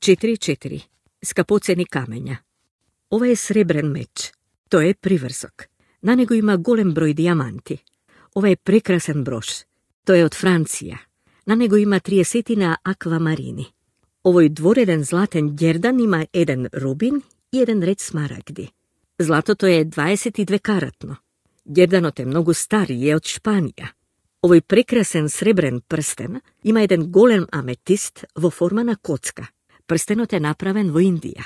4 skapoceni kamenja. Ovo je srebren meč. To je privrzok. Na nego ima golem broj dijamanti. Ovo je prekrasan broš. To je od Francija. Na nego ima 30 akvamarini. Ovoj dvoreden zlaten djerdan ima 1 rubin i 1 red smaragdi. Zlato to je 22 karatno. Djerdanot je mnogo starije od Španija. Ovoj prekrasen srebren prsten ima 1 golem ametist vo formana kocka. Prstenot je napraven vo Indija.